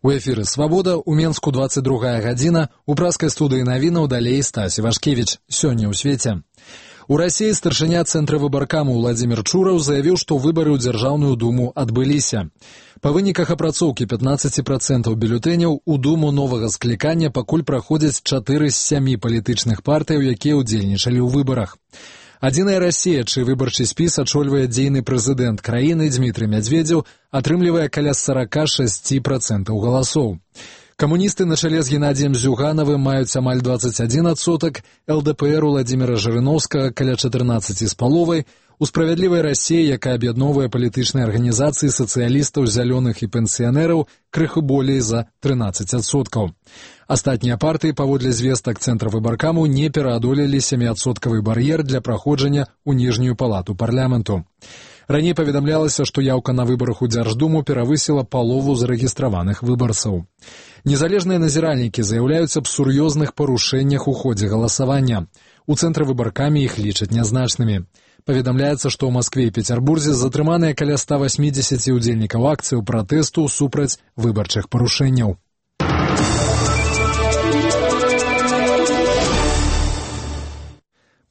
У эфіры «Свабода», у Менску 22 гадзіна, у праскай студыі навінаў далей Стась Івашкевіч. Сёння ў свеце. У Расіі старшыня Цэнтра выбаркаму Владзімір Чураў заявіў, што выбары ў Дзяржаўную думу адбыліся. Па выніках апрацоўкі 15% бюлетэняў у думу новага склікання пакуль праходзяць 4 з 7 палітычных партыяў, якія ўдзельнічалі ў выбарах. Адзіная Расія, чый выбарчы спіс ачольвае дзейны прэзідэнт краіны Дзмітрый Мядзведзеў, атрымлівае каля 46% галасоў. Камуністы на чале з Геннадзіем Зюганавым маюць амаль 21%, ЛДПР Владзіміра Жырыноўскага каля 14,5%, у «Справядлівай Расіі», якая аб'ядноўвае палітычныя арганізацыі сацыялістаў, зялёных і пенсіянераў, крыху болей за 13%. Астатнія партыі, паводле звестак Цэнтра выбаркаму, не пераадолелі 7% бар'ер для праходжання ў ніжнюю палату парламенту. Раней паведамлялася, што яўка на выбарах у Дзярждуму перавысіла палову зарэгістраваных выбарцаў. Незалежныя назіральнікі заяўляюць аб сур'ёзных парушэннях у ходзе галасавання. У Цэнтры выбаркамі іх лічаць нязначнымі. Паведамляецца, што ў Маскве і Пецярбурзе затрыманыя каля 180 удзельнікаў акцыяў пратэсту супраць выбарчых парушэнняў.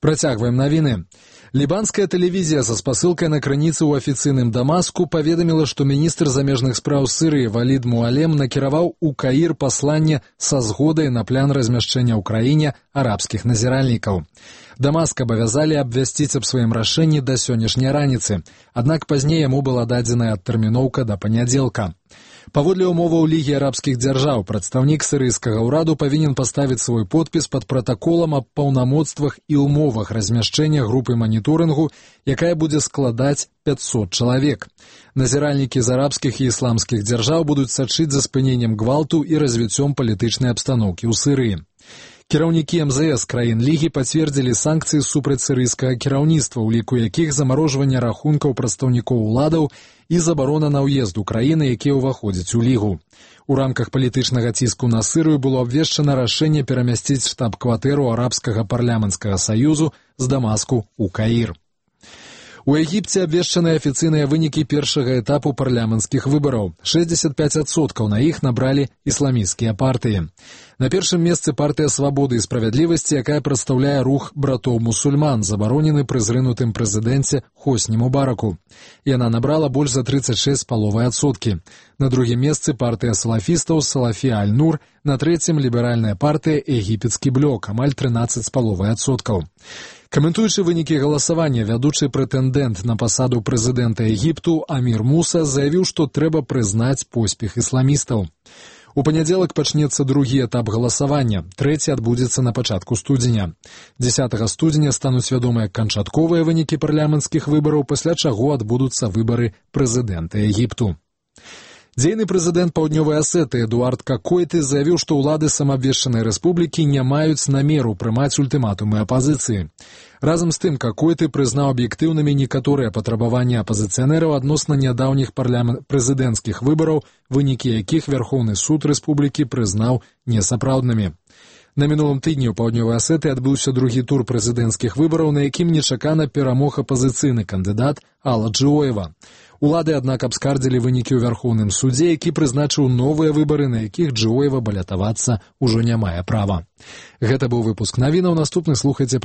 Працягваем навіны. Лібанская тэлевізія са спасылкай на крыніцы ў афіцыйным Дамаску паведаміла, што міністр замежных спраў Сырыі Валід Муалем накіраваў у Каір пасланне са згодай на план размяшчэння ў краіне арабскіх назіральнікаў. Дамаск абавязалі абвясціць аб сваім рашэнні да сённяшняй раніцы, аднак пазней яму была дадзеная адтэрміноўка да панядзелка. Паводле ўмоваў Лігі арабскіх дзяржаў, прадстаўнік сірыйскага ўраду павінен паставіць свой подпіс пад пратаколам аб паўнамоцтвах і ўмовах размяшчэння групы маніторынгу, якая будзе складаць 500 чалавек. Назіральнікі з арабскіх і ісламскіх дзяржаў будуць сачыць за спыненнем гвалту і развіццём палітычнай абстаноўкі ў Сырыі. Кіраўнікі МЗС краін Лігі пацвердзілі санкцыі супраць сірыйскага кіраўніцтва, у ліку якіх замарожванне рахункаў прадстаўнікоў уладаў і забарона на ўезд у краіны, якія ўваходзяць у Лігу. У рамках палітычнага ціску на Сырыю было абвешчана рашэнне перамясціць штаб-кватэру арабскага парламенцкага саюзу з Дамаску ў Каір. У Егіпце абвешчаны афіцыйныя вынікі першага этапу парламенцкіх выбараў. 65% на іх набралі ісламісцкія партыі. На першым месцы партыя «Свабоды і справядлівасці», якая прадстаўляе рух братоў-мусульман, забаронены пры зрынутым прэзідэнце Хосні Мубараку. Яна набрала больш за 36,5%. На другім месцы партыя салафістаў «Салафі Аль-Нур», на трэцім ліберальная партыя «Егіпецкі блок», амаль 13,5%. Каментуючы вынікі галасавання, вядучы прэтэндэнт на пасаду прэзідэнта Егіпту Амір Муса заявіў, што трэба прызнаць поспех ісламістаў. У панядзелак пачнецца другі этап галасавання, трэці адбудзецца на пачатку студзеня. 10 студзеня стануць вядомыя канчатковыя вынікі парламенцкіх выбараў, пасля чаго адбудуцца выбары прэзідэнта Егіпту. Дзейны прэзідэнт Паўднёвай Асетыі Эдуард Какойты заявіў, што ўлады самаабвешчанай рэспублікі не маюць намеру прымаць ультыматумы апазіцыі. Разам з тым, Какойты прызнаў аб'ектыўнымі некаторыя патрабаванні апазіцыянераў адносна нядаўніх прэзідэнцкіх выбараў, вынікі якіх Вярхоўны суд рэспублікі прызнаў несапраўднымі. На мінулым тыдні ў Паўднёвай Асетыі адбыўся другі тур прэзідэнцкіх выбараў, на якім нечакана перамог апазіцыйны кандыдат Алла Джыоева. Улады, аднак, абскардзілі вынікі ў Вярхоўным судзе, які прызначыў новыя выбары, на якіх Джыоева балятавацца ўжо не мае права. Гэта быў выпуск навінаў, наступны слухайце